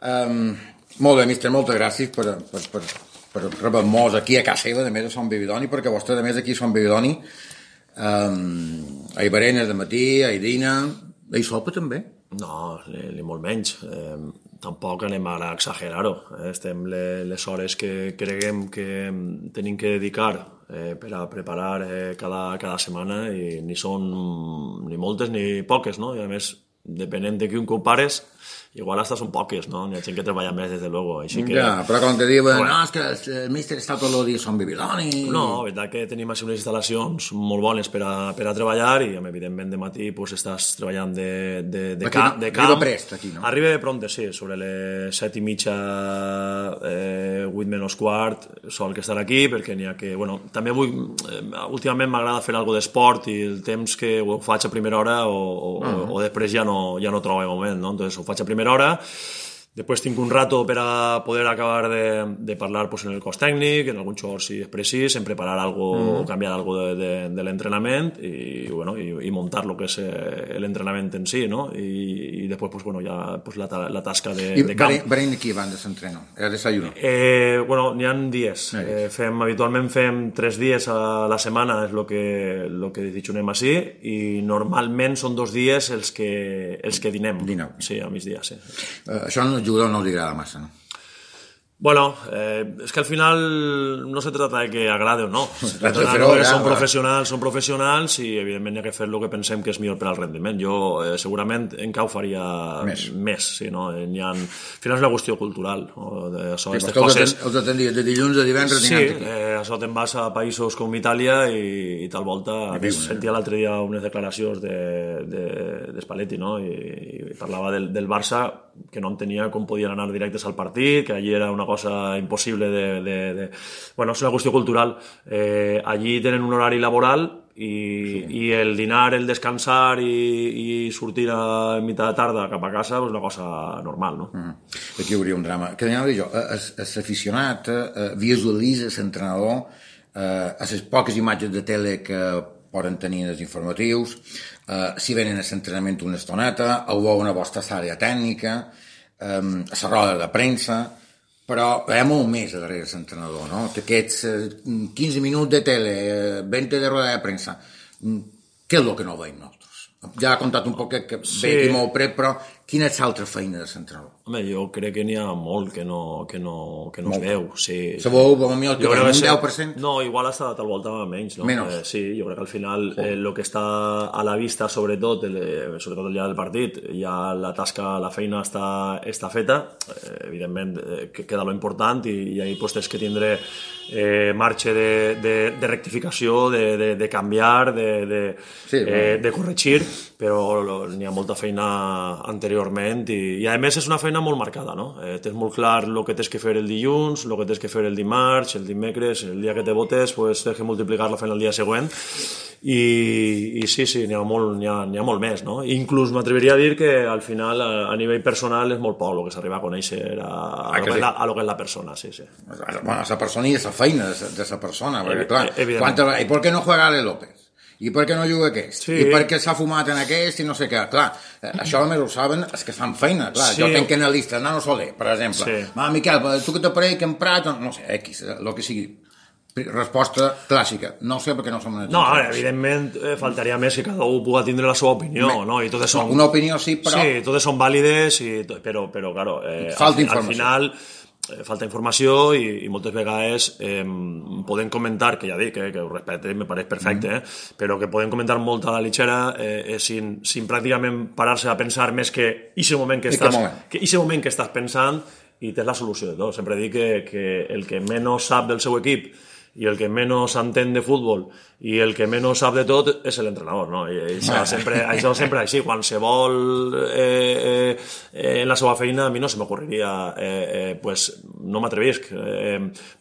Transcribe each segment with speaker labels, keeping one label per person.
Speaker 1: Molt bé, mister, moltes gràcies per rebre-nos aquí a casa seva, a més de Son Bividoni, perquè vostè, a més, aquí a Son Bividoni, hi berenes de matí, hi dina, hi sopa també?
Speaker 2: No, ni molt menys. Tampoc anem ara a exagerar-ho. Estem les hores que creguem que tenim que dedicar per a preparar cada setmana i ni són ni moltes ni poques, no? I a més, depenent de qui ho compares, igual hasta són poques, no? N'hi ha gent que treballa més, des de luego. Així que...
Speaker 1: Ja, però quan te diuen, no, és que el míster està tot el dia a Son Bividoni...
Speaker 2: No, la veritat que tenim així unes instal·lacions molt bones per a treballar i, evidentment, de matí pues, estàs treballant de camp.
Speaker 1: Arriba prest, aquí, no?
Speaker 2: Arriba pronte, sí, sobre les 7:30, 8 menys quart, sol que estar aquí, perquè n'hi ha que... Bueno, també últimament m'agrada fer alguna d'esport i el temps que ho faig a primera hora o després ja no trobo el moment, no? Entonces ho faig a primera hora, després tinc un rato per a poder acabar de parlar pues, en el cos tècnic, en algun xor si és precís, en preparar algo o canviar algo de l'entrenament i, bueno, i montar lo que és l'entrenament en si, no? I després pues, bueno, ja pues, la tasca de camp.
Speaker 1: I berein aquí abans de s'entreno? Era desayuno?
Speaker 2: Bueno, n'hi ha dies. Habitualment fem 3 dies a la setmana, és lo que desitjonem així, i normalment són 2 dies els que dinem.
Speaker 1: Dineu.
Speaker 2: Sí, a migdia, sí.
Speaker 1: Això al jugador no li agrada massa, no?
Speaker 2: Bueno, es que al final no se trata de que agrade o no. Són professionals i evidentment hi ha que fer el que pensem que és millor per al rendiment. Jo segurament encara ho faria més, sí, no? Al final és una qüestió cultural.
Speaker 1: Els atendries de dilluns a divendres dinant aquí.
Speaker 2: Sí, això te'n vas a països com Itàlia i tal volta. Sentia l'altre dia unes declaracions de Spalletti, no? I parlava del Barça, que no entenia com podien anar directes al partit, que allí era una cosa impossible Bueno, és una qüestió cultural. Allí tenen un horari laboral i el dinar, el descansar i sortir a mitjà de tarda cap a casa és una cosa normal, no?
Speaker 1: Aquí hi hauria un drama. Que anava a dir jo, l'aficionat visualitza l'entrenador a les poques imatges de tele que poden tenir els informatius, si venen a l'entrenament una estoneta, o una vostra àrea tècnica, a la roda de premsa, però hi ha molt més darrere l'entrenador, no? Aquests 15 minuts de tele, 20 de roda de premsa, què és el que no veiem nosaltres? Ja ha contat un poc que ve aquí molt pret, però quina és l'altra feina de l'entrenador?
Speaker 2: Home, jo crec que n'hi ha molt que no es veu. Sí.
Speaker 1: Sabeu, potser que un 10%?
Speaker 2: No, igual hasta tal volta menys, no?
Speaker 1: Menys.
Speaker 2: Sí, jo crec que al final el que està a la vista, sobretot el dia del partit, ja la tasca, la feina està feta, evidentment queda lo important i ahí pues tens que tindre marge de rectificació, de canviar, de corregir, però n'hi ha molta feina anteriorment i a més és una feina molt marcada, no? Tens molt clar el que tens que fer el dilluns, el que tens que fer el dimarts, el dimecres, el dia que te votes, pues tens que multiplicar la feina el dia següent i sí, n'hi ha molt més, no? Inclús m'atreviria a dir que al final a nivell personal és molt poc el que s'arriba a conèixer a lo que és la persona, sí.
Speaker 1: Bueno, la persona i la feina de la persona, perquè clar, i per què no juega Ale López? I per què no juga aquest? I per què s'ha fumat en aquest i no sé què? Clar, això només ho saben els que fan feina, clar. Jo tenc analistes, Nano Soler, per exemple. Miquel, tu que t'aparell, que emprat, no sé, X, el que sigui. Resposta clàssica. No sé per què no som analistes.
Speaker 2: No, evidentment faltaria més que cada un pugui tindre la seva opinió, no? I totes són...
Speaker 1: Una opinió sí, però...
Speaker 2: Sí, totes són vàlides, però claro,
Speaker 1: falta informació.
Speaker 2: Al final... falta informació i moltes vegades podem comentar, que ja dic que ho respecte, me pareix perfecte, però que podem comentar molt a la litxera sin pràcticament parar-se a pensar més que ese moment que estàs pensant i tens la solució de tot. Sempre dic que el que menys sap del seu equip i el que menys entén de futbol i el que menys sap de tot és l'entrenador, no? I això sempre així. Qualsevol en la seva feina a mi no se m'ocorreria pues no m'atrevisc.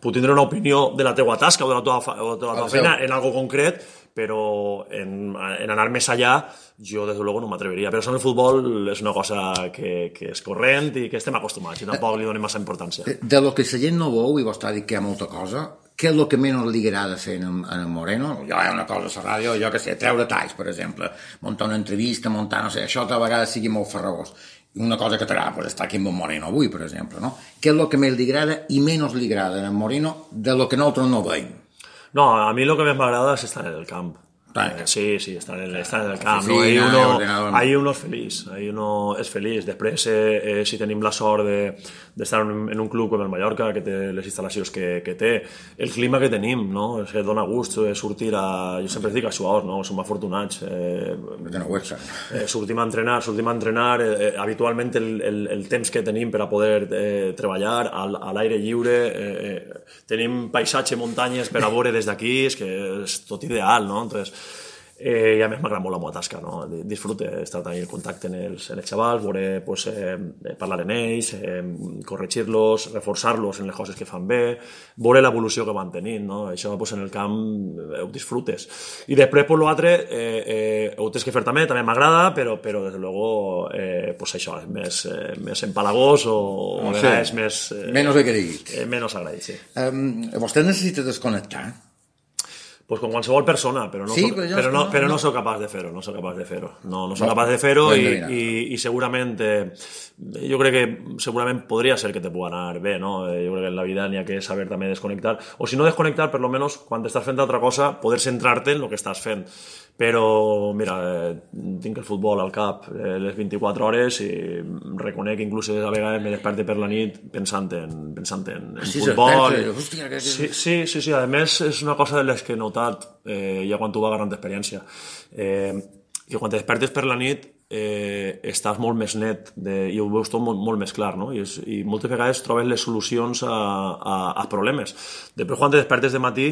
Speaker 2: Puc tindre una opinió de la teua tasca o de la teua feina en algo concret, però en anar més allà jo des de luego no m'atreviria. Però això en el futbol és una cosa que és corrent i que estem acostumats i tampoc li donem massa importància.
Speaker 1: De lo que la gent no veu, i vostè ha dit que hi ha molta cosa, què és el que menys li agrada fer en Moreno? Jo hi ha una cosa a la ràdio, jo que sé, treure talls, per exemple, muntar una entrevista, no sé, això a vegades sigui molt farragós. una cosa que t'agrada pues, estar aquí amb en Moreno avui, per exemple, no? Què és el que més li agrada i menys li agrada en Moreno de lo que nosaltres no veiem?
Speaker 2: No, a mí lo que más me agrada es estar en el camp. Sí, estar en el camp. No? Ahí uno es feliç. Després, si tenim la sort d'estar en un club com el Mallorca, que té les instal·lacions que té, el clima que tenim, no? És que dona gust sortir a... Jo sempre dic a Suaos, no? Som afortunats. Sortim a entrenar. Habitualment el temps que tenim per a poder treballar a l'aire lliure, tenim paisatge, muntanyes per a veure des d'aquí, és que és tot ideal, no? Entonces, i a més m'agrada molt la meva tasca, no? Disfrute estar tenint contacte amb els xavals, veure, pues, parlar amb ells, corregir-los, reforçar-los en les coses que fan bé, veure l'evolució que van tenint, no? Això pues, en el camp ho disfrutes. I després, pues, l'altre, ho tens que fer també m'agrada, però des de luego, pues, això és més empalagós o a vegades més...
Speaker 1: Menys agraït.
Speaker 2: Menys agraït, sí.
Speaker 1: Vostè necessita desconnectar?
Speaker 2: Pues con qualsevol persona, però no soc capaç de fer-ho, No soc capaç de fer-ho i segurament, jo crec que segurament podria ser que te pugui anar bé, no? Jo crec que en la vida n'hi ha que saber també desconnectar, o si no desconnectar, per lo menos, quan estàs fent altra cosa, poder centrar-te en el que estàs fent. Però, mira, tinc el futbol al cap les 24 hores i reconec que inclús a vegades me desperte per la nit pensant en futbol. Sí, a més és una cosa de les que he notat ja quan tu vas agarrant experiència, que quan te despertes per la nit estàs molt més net i ho veus tot molt més clar, no? I moltes vegades trobes les solucions a problemes. Després quan te despertes de matí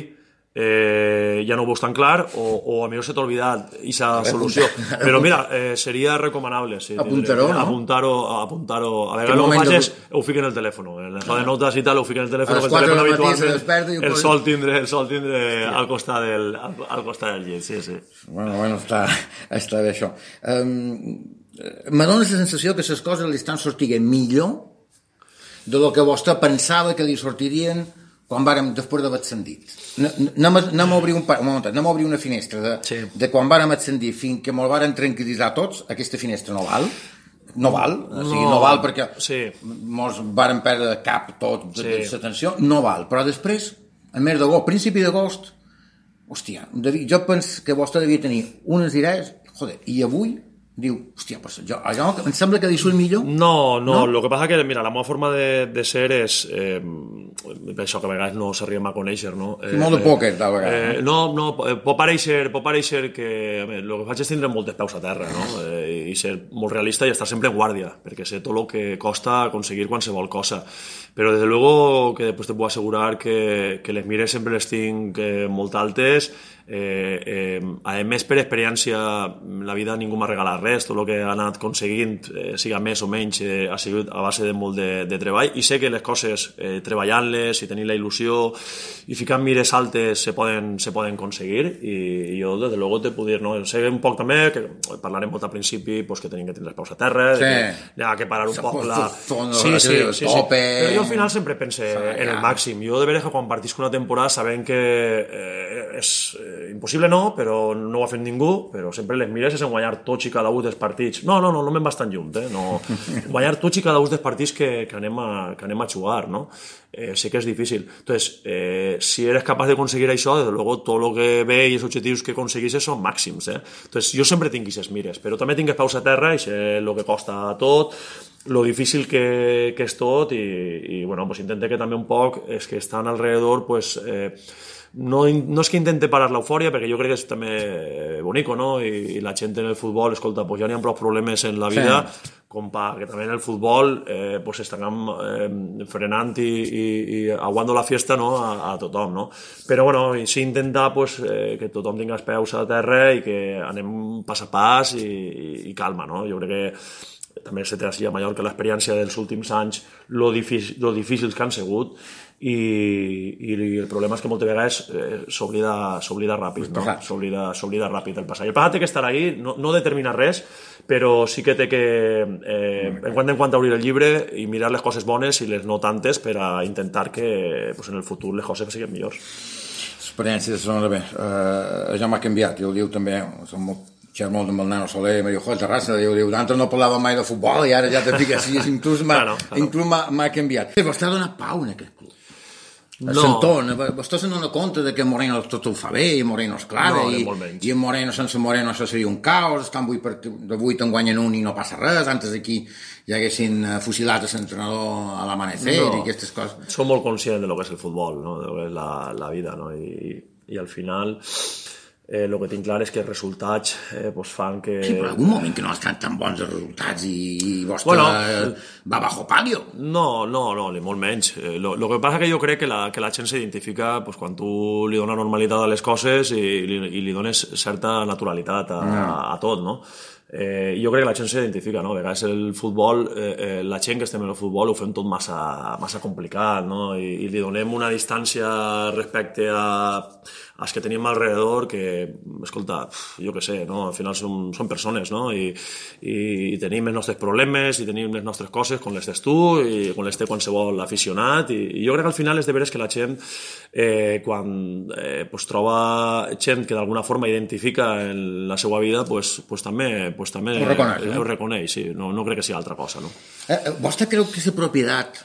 Speaker 2: ja no ho veus tan clar o a millor se t'ha oblidat aquesta solució, però mira, seria recomanable
Speaker 1: apuntar-ho, no?
Speaker 2: Apuntar-ho. A vegades el que faig és ho fico en el telèfon, en el de notes i tal, ho fico en el telèfon, el telèfon habitualment el sol tindre al costat del llit, sí.
Speaker 1: Bueno, està bé això. Me dóna la sensació que les coses li estan sortint millor de lo que vostè pensava que li sortirien quan vàrem, després d'haver ascendit. Anem a obrir una finestra de quan vàrem ascendir fins que me'l vàrem tranquil·litzar tots. Aquesta finestra no val, no val perquè mos vàrem perdre cap tot de l'atenció, no val, però després, a mes d'agost, principi d'agost, hòstia, jo penso que vostè devia tenir unes idees, i avui diu, hòstia, pues allò em sembla que li surt millor.
Speaker 2: No, lo que passa que, mira, la meva forma de ser és això que a vegades no s'arribem a conèixer, no?
Speaker 1: Molt de pòquer, tal vegada.
Speaker 2: No, pot pareixer que el que faig és tindre moltes peus a terra, no? I ser molt realista i estar sempre en guàrdia, perquè sé tot el que costa aconseguir qualsevol cosa. Però, desde luego, que després te puc assegurar que les mires sempre les tinc molt altes. A més, per experiència, la vida ningú m'ha regalat res. Tot el que he anat aconseguint, siga més o menys, ha sigut a base de molt de treball, i sé que les coses, treballant-les i tenint la il·lusió i ficant mires altes se poden aconseguir, i jo, des de luego, te puc dir, no? Sé un poc també, que parlarem molt al principi, que tenim que tindre els peus a terra, que hi ha que parar un poc
Speaker 1: sí.
Speaker 2: Però jo al final sempre pense en el màxim. Jo de veres que quan partisc una temporada sabent que és impossible, no, però no ho ha fet ningú, però sempre les mires és en guanyar tots i cada un dels partits. No me'n vas tan lluny, no. Guanyar tots i cada un dels partits que anem a jugar, no? Sé que és difícil. Entonces, si eres capaç d'aconseguir això, desde luego, tot el que ve i els objectius que aconseguisses són màxims, Entonces, jo sempre tinc aquestes mires, però també tinc peus a terra i sé el que costa tot, lo difícil que és tot, i bueno, pues intente que també un poc és que estan alrededor, pues no és que intente parar l'eufòria, perquè jo crec que és també bonico, no? I la gent en el futbol, escolta, pues ja n'hi ha prou problemes en la vida, com que també en el futbol pues estan frenant i aguando la fiesta, no? a tothom, no? Però bueno, sí intentar pues, que tothom tingui els peus a terra i que anem pas a pas i calma, no? Jo crec que també se té així a Mallorca l'experiència dels últims anys, lo difícils que han sigut, i el problema és que moltes vegades s'oblida ràpid, no? S'oblida ràpid el passat. El passat té que estar ahí, no determina res, però sí que té que en quant obrir el llibre i mirar les coses bones i les no tantes per a intentar que pues, en el futur les coses siguin millors.
Speaker 1: L'experiència sona bé. Ja m'ha canviat, jo el diu també, som molt xerro molt amb el nano Soler, me diu, joder, Terrassa, diu, d'antes no parlava mai de futbol i ara ja te fiques així, inclús m'ha canviat. Vostè ha donat pau en aquest club. S'entona, vostè se n'adona compte de que Moreno tot ho fa bé, i Moreno es clava, i en Moreno sense Moreno això seria un caos, estan de 8 en guanyen un i no passa res, antes d'aquí ja haguessin fusilat a l'entrenador a l'amanecer i aquestes coses.
Speaker 2: Som molt conscients de lo que és el futbol, no? de lo que és la vida, no? I al final el que tinc clar és que els resultats fan que...
Speaker 1: Sí, però en algun moment que no estan tan bons els resultats i vostè va bajo palio.
Speaker 2: No, ni molt menys. Lo que passa que jo crec que la gent s'identifica quan tu li dones normalitat a les coses i li dones certa naturalitat a tot, no? Jo crec que la gent s'identifica, no? A vegades el futbol, la gent que estem en el futbol ho fem tot massa complicat, no? I li donem una distància respecte als que tenim alrededor que, escolta, jo què sé, no? Al final són persones, no? I tenim els nostres problemes i tenim les nostres coses com les tens tu i com les té qualsevol aficionat i jo crec que al final és de veres que la gent quan troba gent que d'alguna forma identifica en la seva vida també ho reconeix, sí. No crec que sigui altra cosa, no?
Speaker 1: Vostè creu que la propietat,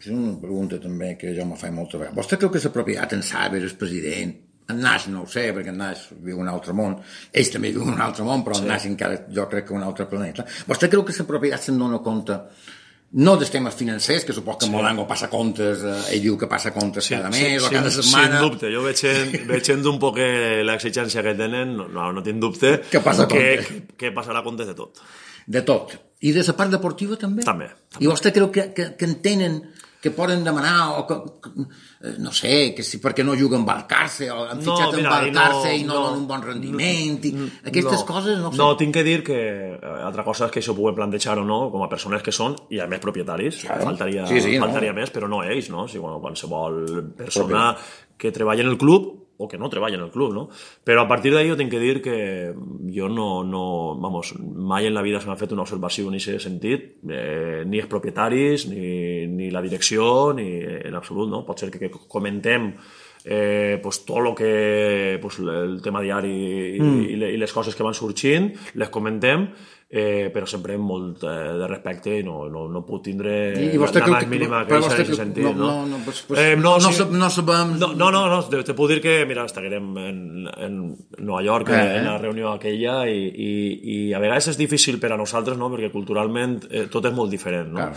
Speaker 1: és una pregunta també que jo me faig molta vegada, vostè creu que la propietat en Saber, el president, en Naix no ho sé, perquè en Naix viu en un altre món, ells també viuen en un altre món, però en Naix encara jo crec que un altre planeta. Vostè creu que la propietat se'n dona compte no dels temes financers, que supos que Molango passa comptes, ell diu que passa comptes cada mes o cada setmana.
Speaker 2: Sin dubte, jo veig un poc l'exigència que tenen, no tinc dubte,
Speaker 1: que
Speaker 2: passarà comptes de tot.
Speaker 1: De tot. I de la part deportiva també?
Speaker 2: També.
Speaker 1: I vostè creu que entenen que poden demanar o que no sé, que si perquè no juguen Valcarce o han fitxat en Valcarce i no donen un bon rendiment i aquestes coses no sé.
Speaker 2: No, tinc que dir que altra cosa és que això ho puguem plantejar o no com a persones que són i a més propietaris, faltaria més, però no ells, no? Si qualsevol persona que treballa en el club o que no treballa en el club, no? Però a partir d'ahí jo tinc que dir que jo mai en la vida se m'ha fet una observació en aquest sentit, ni els propietaris, ni la direcció, ni en absolut, no? Pot ser que comentem tot el que el tema diari i les coses que van sorgint, les comentem, però sempre amb molt de respecte i no puc tindre la més mínima queixa en aquest sentit. No, te puc dir que, mira, estiguem en Nova York en la reunió aquella i a vegades és difícil per a nosaltres, no? Perquè culturalment tot és molt diferent, no?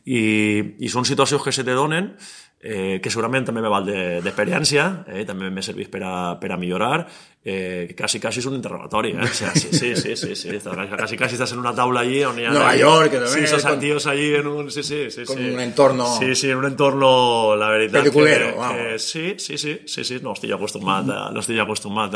Speaker 2: I són situacions que se te donen que segurament també me val d'experiència, també m'he servit per a millorar, quasi és un interrogatori, sí, quasi estàs en una taula allí on hi ha
Speaker 1: Nova York, també,
Speaker 2: esos tíos allí en un
Speaker 1: con un entorno
Speaker 2: en un entorno, la veritat
Speaker 1: peliculero,
Speaker 2: sí, no estic acostumat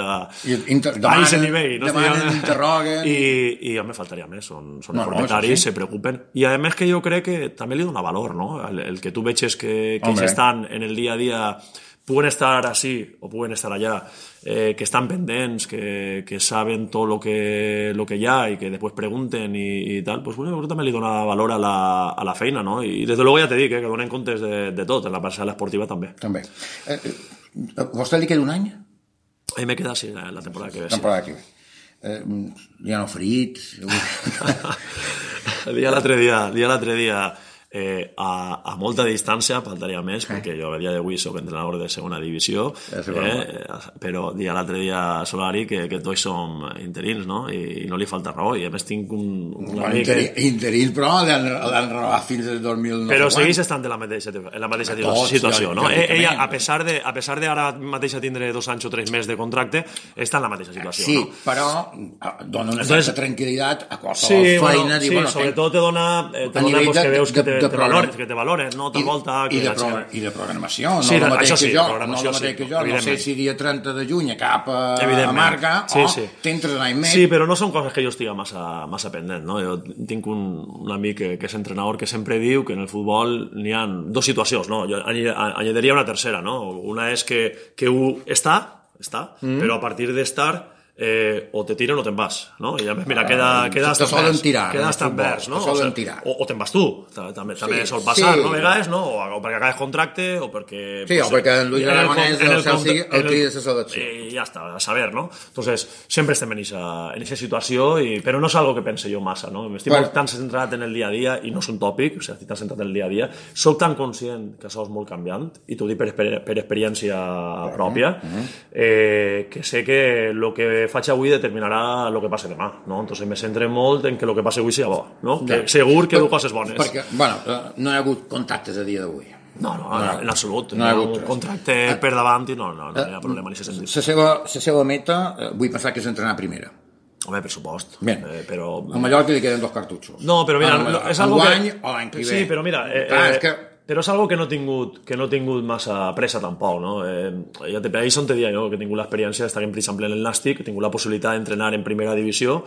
Speaker 2: a
Speaker 1: aquest
Speaker 2: nivell,
Speaker 1: demanen, interroguen
Speaker 2: i a mi faltaria més, són propietaris, se preocupen, i a més que jo crec que també li dona valor, no? El que tu veig que ells estan en el dia a dia, puguen estar així o puguen estar allà, que estan pendents, que saben tot lo que hi ha i que després pregunten i tal, pues bueno, també li dona valor a la feina, no? I des de luego ja te dic, que donen comptes de tot, en la parcel·la esportiva també.
Speaker 1: ¿Vostè li queda un any?
Speaker 2: A mi me queda, sí, la temporada que ve.
Speaker 1: Ja no ferits?
Speaker 2: Dia l'altre dia a molta distància, faltaria més, perquè jo a dia d'avui soc entrenador de segona divisió, però l'altre dia Solari que tots som interins, no? I no li falta raó, i a més tinc un amic...
Speaker 1: Interins, però l'han renovat fins al 2009.
Speaker 2: Però segueix estant en la mateixa situació, no? Ella, a pesar de ara mateixa tindre 2 anys o 3 mesos de contracte, està en la mateixa situació,
Speaker 1: no? Sí, però dona una certa tranquil·litat a qualsevol feina.
Speaker 2: Sí, sobretot te dona que veus que te valoren, no? Tal volta...
Speaker 1: I de programació, no el mateix que jo, no sé si dia 30 de juny cap a Marca o t'entres l'any més.
Speaker 2: Sí, però no són coses que jo estiga massa pendent, no? Jo tinc un amic que és entrenador que sempre diu que en el futbol n'hi ha 2 situacions, no? Jo añadiria una tercera, no? Una és que està, però a partir d'estar o te tiren o te'n vas, no? I mira, quedes tan vers, no? O te'n vas tu, també sol passar, no? A vegades, no? O perquè acabes contracte o perquè...
Speaker 1: Sí, o perquè en Luis Aragonès del Chelsea el crida a la selecció.
Speaker 2: I ja està, a saber, ¿no? Entonces, sempre estem en esa situació, però no és algo que pense jo massa, no? Estic tan centrat en el dia a dia, i no és un tòpic, o sigui, estic tan centrat en el dia a dia, soc tan conscient que això és molt canviant, i t'ho dic per experiència pròpia, que sé que el que faig avui determinarà el que passa demà, no? Entonces me centre molt en que el que passa avui sigui bo, no? Que segur que du coses bones.
Speaker 1: Perquè, bueno, no hi ha hagut contactes a dia d'avui.
Speaker 2: No, en absolut. No hi ha un contracte per davant i no hi ha problema en aquest sentit.
Speaker 1: La seva meta, vull pensar que és entrenar a primera.
Speaker 2: Home, per supost.
Speaker 1: Però... A Mallorca li queden 2 cartutxos.
Speaker 2: No, però mira, és algo
Speaker 1: que... o l'any que ve.
Speaker 2: Sí, però mira... Però és algo que no he tingut massa pressa tampoc, no? Ahir on te deia jo que he tingut l'experiència d'estar, per exemple, en el Nàstic, he tingut la possibilitat d'entrenar en primera divisió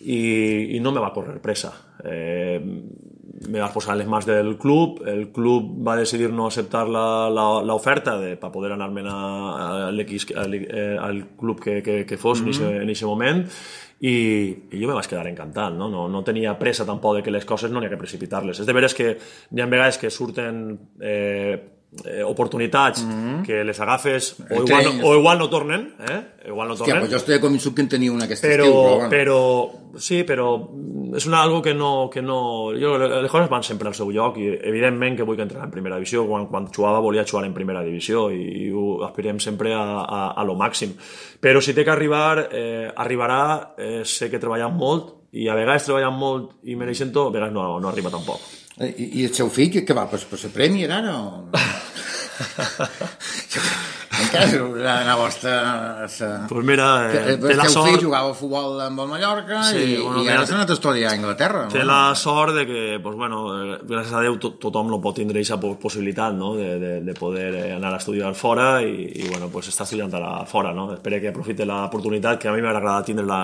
Speaker 2: i no me va córrer pressa. Me vas posar en les mans del club, el club va decidir no acceptar l'oferta per poder anar-me'n al club que fos en aquest moment, i jo me vaig quedar encantat, no tenia pressa tampoc de que les coses no n'hi ha que precipitar-les. És de veres que n'hi ha vegades que surten oportunitats que les agafes o igual no tornen,
Speaker 1: Hòstia, pues jo estic convençut que en tenia un aquest estil,
Speaker 2: però és algo que no... Les coses van sempre al seu lloc, i evidentment que vull que entrenar en primera divisió. Quan jugava volia jugar en primera divisió i ho aspirem sempre a lo màxim, però si té que arribar, arribarà. Sé que treballant molt, i a vegades treballant molt i mereixent tot, a vegades no arriba tampoc.
Speaker 1: I el seu fill, què va, per ser premi ara? Encara la vostra...
Speaker 2: Pues mira,
Speaker 1: té la sort... El seu fill jugava a futbol amb el Mallorca i ara s'ha anat a estudiar a Anglaterra.
Speaker 2: Té la sort de que, gràcies a Déu, tothom no pot tindre aquesta possibilitat, no? De poder anar a estudiar fora, i està estudiant ara fora, no? Espero que aprofite l'oportunitat, que a mi m'ha agradat tindre-la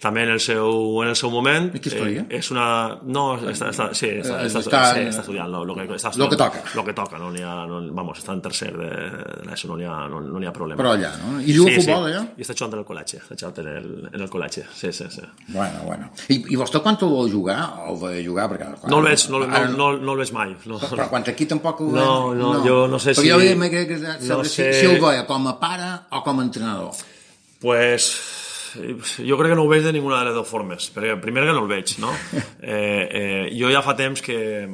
Speaker 2: també en el seu moment.
Speaker 1: I què estudia?
Speaker 2: És una... No, està estudiant lo que toca, no n'hi ha... Vamos, està en tercer d'ESO, no n'hi ha problema.
Speaker 1: Però allà, no? I juga a futbol, allà?
Speaker 2: I està jugant en el col·legi, en el col·legi, sí.
Speaker 1: Bueno. I vostè quan ho vol jugar? O vol jugar?
Speaker 2: No el veig mai.
Speaker 1: Però quan aquí tampoc ho veig?
Speaker 2: No, jo no sé si...
Speaker 1: Perquè jo crec que si el veia com a pare o com a entrenador.
Speaker 2: Pues... jo crec que no ho veig de ninguna de les dues formes, perquè primer que no el veig, no? Jo ja fa temps que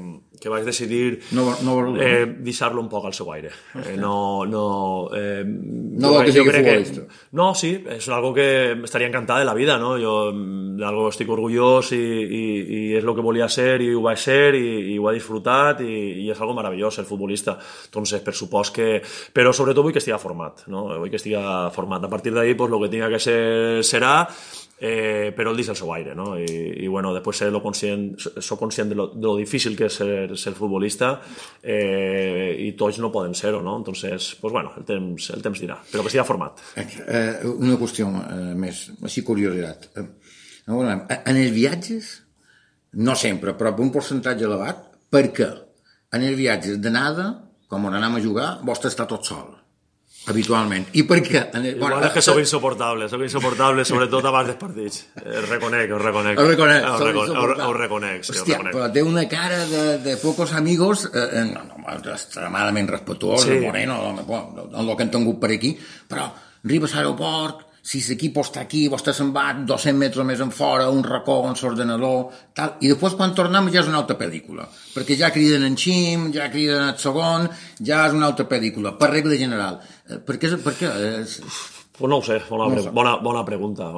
Speaker 2: vaig decidir deixar-lo un poc al seu aire. No
Speaker 1: vol que sigui futbolista.
Speaker 2: No, sí, és algo que estaria encantat de la vida, no? Jo d'algo estic orgullós i és el que volia ser i ho vaig ser i ho he disfrutat i és algo meravellós ser futbolista. Entonces, per supost que... Però sobretot vull que estigui format, no? Vull que estigui format. A partir d'ahí, pues, lo que tinga que ser serà, però el deixa al seu aire, no? I després soc conscient de lo difícil que és ser futbolista, i tots no poden ser-ho, no? Entonces, el temps dirà, però que estigui format.
Speaker 1: Una qüestió més, així curiositat. En els viatges, no sempre, però per un percentatge elevat, per què en els viatges d'anada, com on anem a jugar, vostè està tot sol? Habitualment. I per què?
Speaker 2: Igual és que soc insoportable, sobretot abans dels partits. Ho reconec.
Speaker 1: Hòstia, però té una cara de pocos amigos, extremadament respetuós, moreno, en el que han tingut per aquí, però arribes a l'aeroport, si l'equip està aquí, vostè se'n va 200 metres més en fora, un racó, un l'ordenador, tal, i després quan tornem ja és una altra pel·lícula, perquè ja criden en Xim, ja criden el segon, ja és una altra pel·lícula, per regla general. Per què?
Speaker 2: Pues no ho sé, bona pregunta.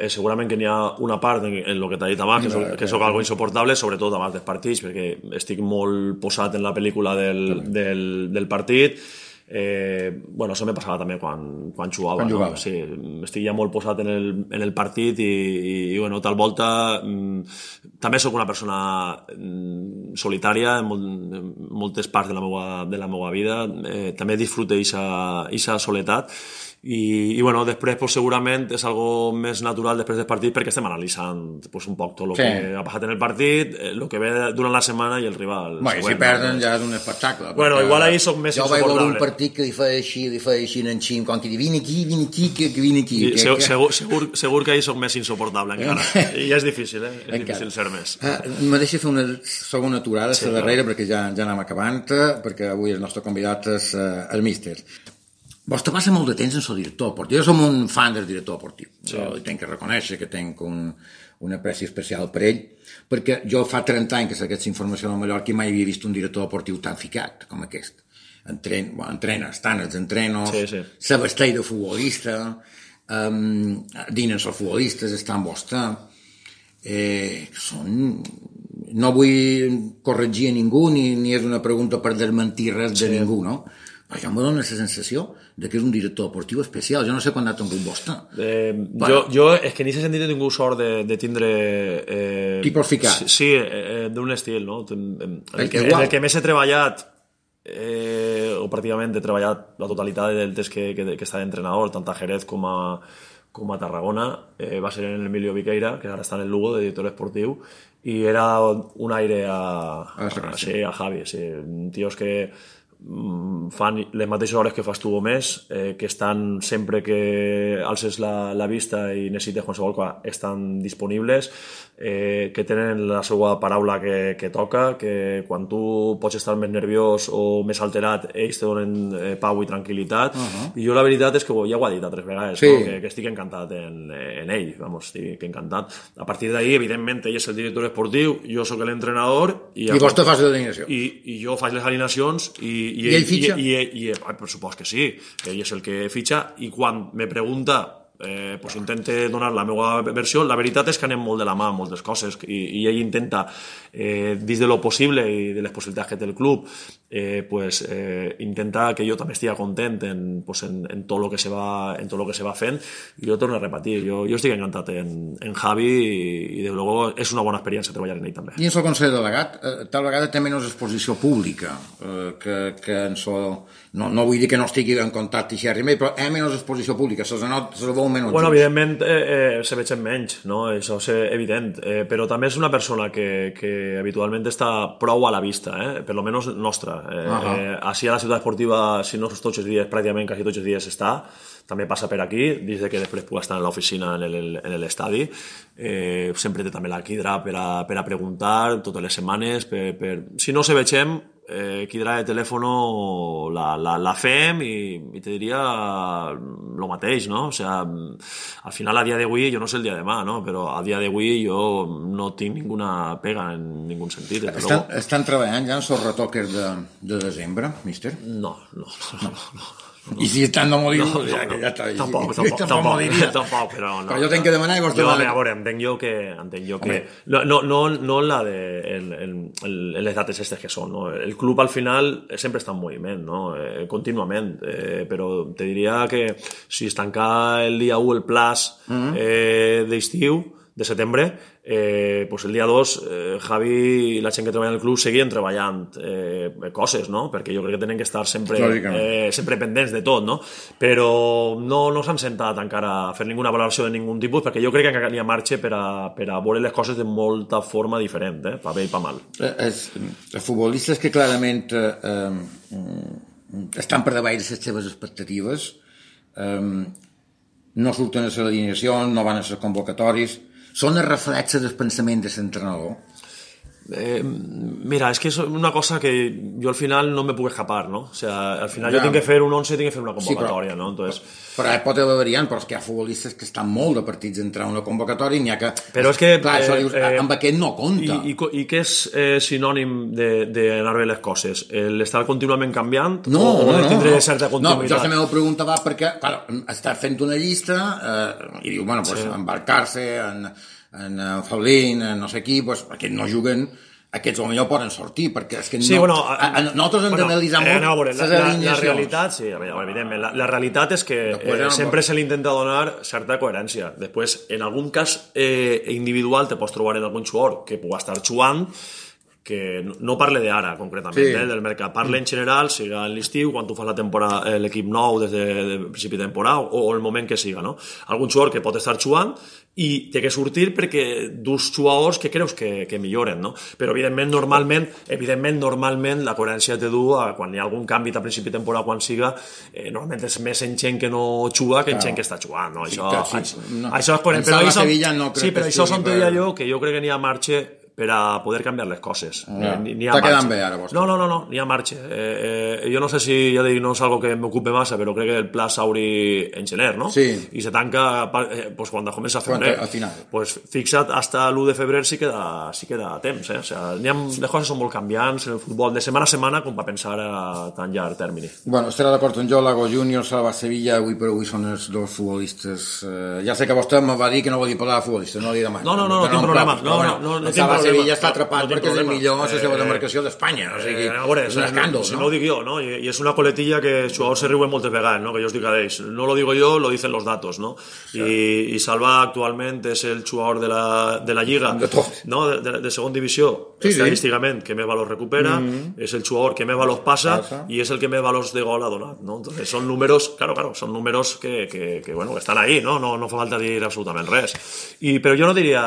Speaker 2: Segurament que n'hi ha una part en el que t'ha dit abans, que soc algo insoportable, sobretot abans dels partits, perquè estic molt posat en la pel·lícula del partit. Això me passava també quan jugava. No? Sí, estic ja molt posat en el partit i tal volta també sóc una persona solitària en moltes parts de la meva vida. També disfruto aquesta soledat. I després segurament és algo més natural després del partit, perquè estem analitzant un poc tot el que ha passat en el partit, el que ve durant la setmana i el rival.
Speaker 1: Si perden ja és un espectacle.
Speaker 2: Igual ahir soc més insuportable.
Speaker 1: Jo vaig veure un partit partit que li feia així en xim, com que vine aquí, que vine aquí.
Speaker 2: Segur que ahir soc més insuportable encara. I és difícil, És difícil ser més.
Speaker 1: Me deixa fer una segona aturada, la darrera, perquè ja anem acabant, perquè avui el nostre convidat és el míster. Vos te passa molt de temps en el director esportiu. Jo som un fan del director esportiu. Jo tinc que reconèixer que tinc una apreci especial per ell, perquè jo fa 30 anys que sé aquesta informació de Mallorca i mai havia vist un director esportiu tan ficat com aquest. Entrena, estan els entrenos, se vesteix de futbolista, dinen els futbolistes, estan vostè. No vull corregir a ningú, ni és una pregunta per desmentir res de ningú, no? Però jo em dóna la sensació que és un director esportiu especial. Jo no sé quan ha tingut vostè.
Speaker 2: Jo, és que en aquest sentit he tingut sort de tindre...
Speaker 1: Tipus ficat.
Speaker 2: Sí, d'un estil, no? En el que més he treballat, o pràcticament he treballat la totalitat del temps que està d'entrenador, tant a Jerez com a Tarragona, va ser en Emilio Viqueira, que ara està en el Lugo, de director esportiu, i era un aire a Javi, tios que fan les mateixes hores que fas tu o més, que estan sempre que alces la vista i necessites qualsevol cosa, estan disponibles, que tenen la seva paraula que toca, que quan tu pots estar més nerviós o més alterat, ells te donen pau i tranquil·litat. I jo la veritat és que ja ho ha dit altres vegades, que estic encantat en ell, estic encantat. A partir d'ahir, evidentment, ell és el director esportiu, jo sóc l'entrenador i
Speaker 1: vos te fas l'alineació
Speaker 2: i jo faig les alineacions
Speaker 1: i ell fitxa?
Speaker 2: Per supost que sí, ell és el que fitxa, i quan me pregunta intente donar la meva versió. La veritat és que anem molt de la mà en moltes coses i ell intenta, dins de lo possible i de les possibilitats que té el club, intenta que jo també estigui content en tot el que se va fent. I jo torno a repetir, jo estic encantat en Javi i de luego és una bona experiència treballar en ell també.
Speaker 1: I en el Consell Delegat tal vegada té menys exposició pública que en no vull dir que no estigui en contacte però hi ha menys exposició pública, se la veu menys.
Speaker 2: Bueno, evidentment se veig menys, no? Això és evident, però també és una persona que habitualment està prou a la vista, per lo menos nostra. Així a la ciutat esportiva, si no tots els dies, pràcticament quasi tots els dies està, també passa per aquí, des que després pugui estar en l'oficina en l'estadi. Sempre té també la quidra per a preguntar totes les setmanes, si no se vegem, quidra de telèfon la fem i te diria el mateix, no? O sea, al final a dia d'avui, jo no sé el dia de demà, no? Però a dia d'avui jo no tinc ninguna pega en ningú sentit.
Speaker 1: Estan treballant ja en els retoques de desembre, míster?
Speaker 2: No.
Speaker 1: I si estan no m'ho diu, ja està.
Speaker 2: Tampoc, però no.
Speaker 1: Però jo tenc que demanar i vos demanar.
Speaker 2: A veure, entenc jo que no la de les dates aquestes que són, no? El club al final sempre està en moviment, no? Contínuament, però te diria que si es tanca el dia 1 el plaç d'estiu, de setembre, el dia 2 Javi i la gent que treballa en el club seguien treballant coses, no? Perquè jo crec que tenen que estar sempre pendents de tot, no? Però no s'han sentat encara a fer ninguna valoració de ningun tipus, perquè jo crec que encara hi ha marge per a veure les coses de molta forma diferent, pa bé i pa mal.
Speaker 1: Els futbolistes que clarament estan per davall de les seves expectatives, no surten a les alineacions, no van a les convocatòries, són el reflex del pensament de l'entrenador?
Speaker 2: Mira, és que és una cosa que jo al final no me puc escapar, no? O sea, al final jo tinc que fer un 11, tinc que fer una convocatòria, no? Entonces...
Speaker 1: Però pot haver variant, però és que hi ha futbolistes que estan molt de partits d'entrar en una convocatòria i n'hi ha que...
Speaker 2: Però és que...
Speaker 1: Clar, això dius, amb aquest no compta.
Speaker 2: I què és sinònim d'anar bé les coses? L'estar contínuament canviant?
Speaker 1: No.
Speaker 2: O tindre certa continuïtat?
Speaker 1: No, jo la meva pregunta va perquè, clar, està fent una llista i diu, bueno, pues embarcar-se en Faulín, en no sé qui, pues, aquests no juguen, aquests potser poden sortir, perquè és que nosaltres hem d'analitzar molt les alineacions.
Speaker 2: La realitat, sí, evidentment, la realitat és que sempre se li intenta donar certa coherència. Després, en algun cas individual te pots trobar en algun jugador que pugui estar jugant que no parle d'ara, concretament, del mercat. Parle en general, siga en l'estiu, quan tu fas l'equip nou des de principi de temporada, o el moment que siga, no? Algun jugador que pot estar jugant i té que sortir perquè dus jugadors que creus que milloren, no? Però evidentment, normalment la coherència té dur quan hi ha algun canvi a principi de temporada, quan siga, normalment és més en gent que no juga que en gent que està jugant, no? Això és coherent. Però això són teoria que jo crec que n'hi ha marge per a poder canviar les coses.
Speaker 1: Està quedant bé ara, vostè?
Speaker 2: No, n'hi ha marge. Jo no sé si, ja dic, no és algo que m'ocupe massa, però crec que el pla s'obri en gener, no?
Speaker 1: Sí.
Speaker 2: I se tanca pues, quan comença a febrer.
Speaker 1: Al final.
Speaker 2: Pues fixa't, hasta l'1 de febrer sí queda temps, O sea, les coses són molt canviants en el futbol de setmana a setmana com per pensar a tan llarg termini.
Speaker 1: Bueno, estarà d'acord amb jo, Lago Júnior, Salva Sevilla, avui per avui són els dos futbolistes. Ja sé que vostè me va dir que no volia parlar de futbolistes, no li demano.
Speaker 2: No tinc problema. No,
Speaker 1: Sevilla està atrapat perquè és el millor a la seva demarcació d'Espanya, o sigui, és un escàndol,
Speaker 2: no ho dic jo, no? I és una coletilla que els jugadors se riuen moltes vegades, no? Que jo us dic a ells, no lo digo yo, lo dicen los datos, no? I Salva actualment és el jugador de la Lliga, no? De segona divisió, estadísticament, que més valors recupera, és el jugador que més valors passa i és el que més valors de gol ha donat, no? Entonces són números, claro, són números que estan ahí, no? No fa falta dir absolutament res. Però jo no diria,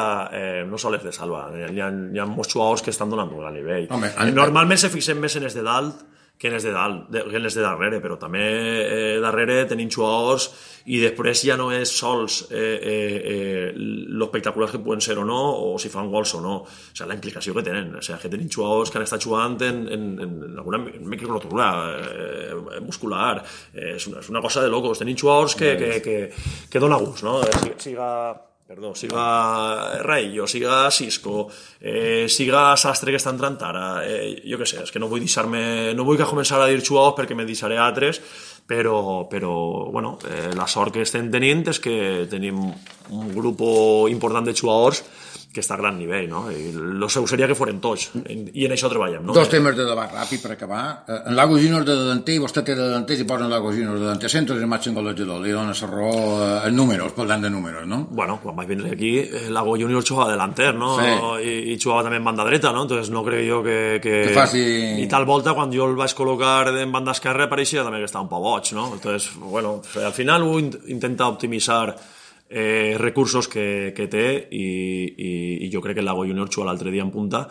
Speaker 2: no sols de Salva, hi ha molts jugadors que estan donant un gran nivell. Normalment se fixen més en els de dalt que en els de darrere, però també darrere tenim jugadors i després ja no és sols lo espectaculars que poden ser o no, o si fan gols o no, o sigui, la implicació que tenen, o sigui, que tenim jugadors que han estat jugant en alguna microcultura muscular, és una cosa de locos, tenim jugadors que dona gust, no? Siga Raillo, siga Cisco, siga Sastre que està entrant ara, jo què sé, és que no vull que començar a dir jugadors perquè me deixaré altres, però bueno, la sort que estem tenint és que tenim un grup important de jugadors que està a gran nivell, no? I el seu seria que foren tots, i en això treballem, no?
Speaker 1: Dos temes de debat ràpid per acabar. En Lago Júnior de davanter, i vostè té de davanter, si posen Lago Júnior de davanter, centres el màxim golejador, li dona la raó en números, parlant de números, no?
Speaker 2: Bueno, quan vaig vindre aquí, Lago Júnior jugava delanter, no? Sí. I jugava també en banda dreta, no? Entonces no crec jo que
Speaker 1: faci...
Speaker 2: I tal volta, quan jo el vaig col·locar en banda esquerra, pareixia també que estava un poc boig, no? Entonces, bueno, al final ho intenta optimitzar recursos que té i jo crec que el Lago Júnior juga l'altre dia en punta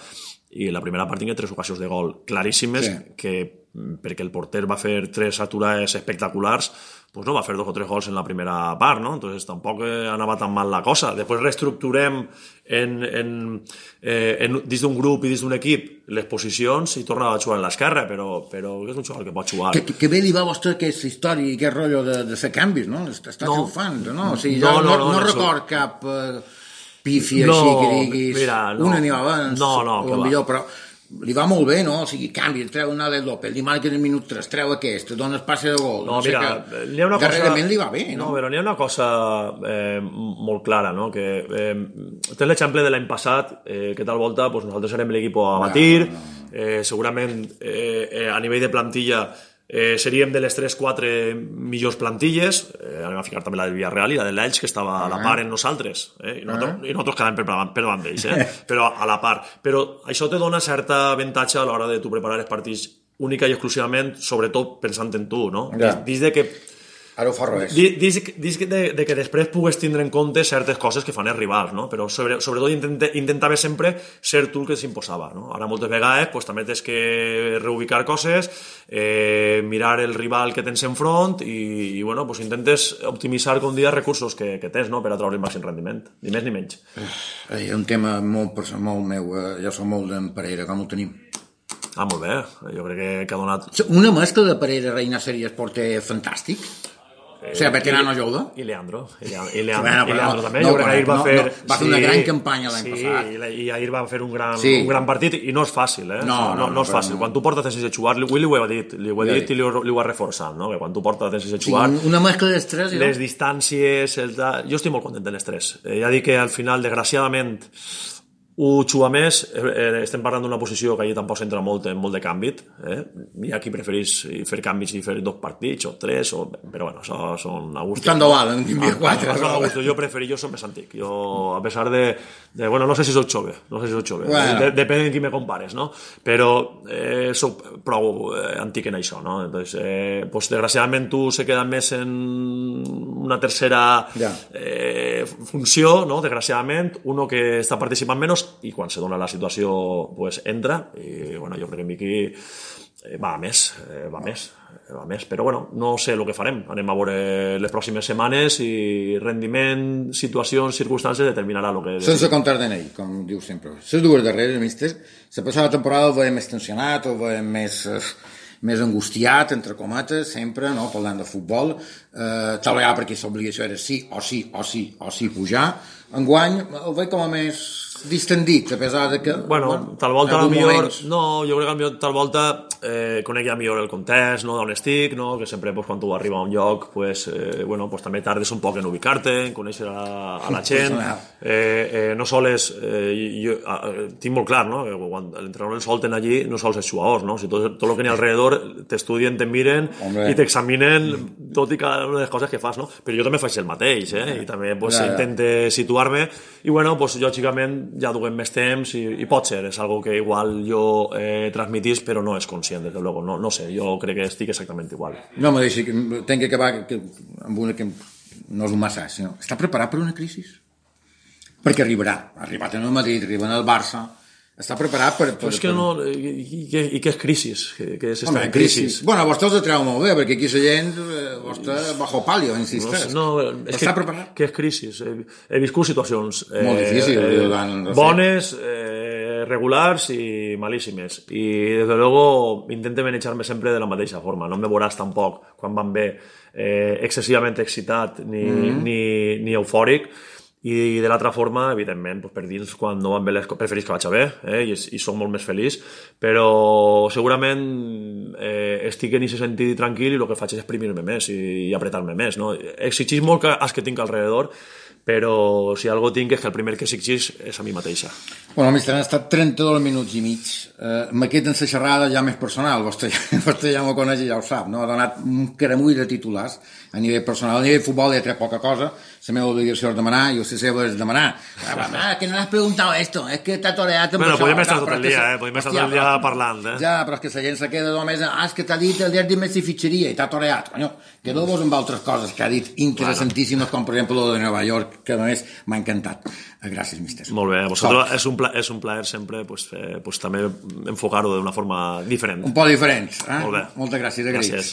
Speaker 2: i la primera part tingué 3 ocasions de gol claríssimes que perquè el porter va fer 3 aturades espectaculars pues no va fer 2 o 3 gols en la primera part, no? Entonces tampoc anava tan mal la cosa. Després reestructurem dins d'un grup i dins d'un equip les posicions i torna a jugar en l'esquerra, però és un jugador que pot jugar.
Speaker 1: Que bé li va a vostè aquesta història i aquest rotllo de fer canvis, no? Està triomfant, no? O sigui, no record cap pífia així que diguis una n'hi va abans o millor, però li va molt bé, no? O sigui, canvi, treu una del López, li marca el minut 3, treu aquest, dona espaci de gol.
Speaker 2: No, mira,
Speaker 1: darrerament li va bé, no?
Speaker 2: No, però n'hi ha una cosa molt clara, no? Que té l'exemple de l'any passat, que tal volta nosaltres érem l'equip amateur, segurament a nivell de plantilla seríem de les 3-4 millors plantilles, anem a ficar també la del Villarreal i la de l'Elx, que estava a la part en nosaltres, i nosaltres quedàvem per davant d'ells, però a la part. Però això te dona certa avantatge a l'hora de tu preparar els partits única i exclusivament, sobretot pensant en tu, no? Dins de que
Speaker 1: ara ho fa res.
Speaker 2: Dic de que després pugues tindre en compte certes coses que fan els rivals, no? Però sobretot intentava sempre ser tu el que s'imposava, no? Ara moltes vegades també tens que reubicar coses, mirar el rival que tens enfront i bueno, intentes optimitzar com dia recursos que tens, no? Per a treure el màxim rendiment, ni més ni menys.
Speaker 1: És un tema molt meu, ja som molt d'en Pereira, com ho tenim?
Speaker 2: Molt bé, jo crec que ha donat...
Speaker 1: Una mescla de Pereira, Reina Series, porter fantàstic? O sigui, veterano jove?
Speaker 2: I Leandro també. Jo crec que ahir va fer...
Speaker 1: Va fer una gran campanya l'any passat.
Speaker 2: Sí, i ahir va fer un gran partit i no és fàcil, No és fàcil. Quan tu portes sense jugar, avui li ho he dit i li ho ha reforçat, no? Que quan tu portes sense jugar...
Speaker 1: Una mescla d'estrès,
Speaker 2: les distàncies... Jo estic molt content de l'estrès. Ja dic que al final, desgraciadament, ho juga més, estem parlant d'una posició que allà tampoc s'entra molt de canvi, hi ha qui prefereix fer canvis i fer 2 partits o 3, però bueno, això són a gust.
Speaker 1: Tant de valen, n'hi 4.
Speaker 2: Jo soc més antic, a pesar de bueno, no sé si soc jove, bueno. Depèn de qui me compares, no? Però soc prou antic en això, no? Entonces, pues, desgraciadament tu se queda més en una tercera funció, no? Desgraciadament, uno que està participant menys i quan se dona la situació pues entra i bueno, jo crec que Miqui va més, però bueno, no sé el que farem, anem a veure les pròximes setmanes i rendiment, situacions, circumstàncies determinarà el que...
Speaker 1: Sense comptar de ell, com diu sempre. Les dues darreres, míster, la passada temporada el veiem més tensionat, el veiem més angustiat, entre cometes, sempre, no? Parlant de futbol, tal vegada perquè l'obligació era sí pujar. Enguany el veig com a més distendit, a pesar de que...
Speaker 2: Bueno, tal volta millor... No, jo crec que tal volta conec ja millor el context, no, d'on estic, no? Que sempre quan tu arribes a un lloc pues també tardes un poc en ubicar-te, en conèixer a la gent. No sols... Jo tinc molt clar, no? Que quan l'entrenador el solten allí no sols els jugadors, no? Si tot el que n'hi ha alrededor t'estudien, te miren i t'examinen tot i cada una de les coses que fas, no? Però jo també faig el mateix, i també intente situar-me i bueno, lògicament ja duguem més temps i pot ser, és algo que igual jo transmitís però no és conscient, desde luego, no sé, jo crec que estic exactament igual.
Speaker 1: No me deixi, tenc que acabar amb una que no és un massa, sinó està preparat per una crisi? Perquè arribarà, ha arribat en el Madrid, arriba en el Barça, està preparat per...
Speaker 2: Però és que no... I què és crisi? Què és estar en crisi?
Speaker 1: Bueno, vostè us treu molt bé, perquè aquí la gent, vostè, bajo palio, insisteix.
Speaker 2: No, està preparat? Què és crisi? He viscut situacions...
Speaker 1: Molt difícils.
Speaker 2: Bones, regulars i malíssimes. I, desde luego, intente manejar-me sempre de la mateixa forma. No me veuràs tampoc, quan van bé, excessivament excitat ni eufòric. I de l'altra forma, evidentment, per dins, quan no van bé les coses, preferís que vaig bé, i soc molt més feliç, però segurament estic en aquest sentit tranquil i el que faig és exprimir-me més i apretar-me més, no? Exigís molt als que tinc alrededor, però si algo tinc és que el primer que exigís és a mi mateixa.
Speaker 1: Bueno, mister, han estat 32 minuts i mig. Me queda en la xerrada ja més personal, vostè ja m'ho coneix i ja ho sap, no? Ha donat un caramull de titulars a nivell personal. A nivell de futbol hi ha poca cosa, la meva obligació és demanar, i la seva és demanar. Que no has preguntat esto, és que t'ha toreat amb
Speaker 2: això. Podem estar tot el dia, podem estar tot el dia parlant.
Speaker 1: Ja, però és que la gent se queda només, és que t'ha dit el dia de Messi fitxeria i t'ha toreat. Quedeu-vos amb altres coses que ha dit interessantíssimes, com per exemple lo de Nova York, que a més m'ha encantat. Gràcies, mister.
Speaker 2: Molt bé, a vosaltres és un plaer sempre també enfocar-ho d'una forma diferent.
Speaker 1: Un poc diferent.
Speaker 2: Molt bé.
Speaker 1: Moltes gràcies.
Speaker 2: Gràcies.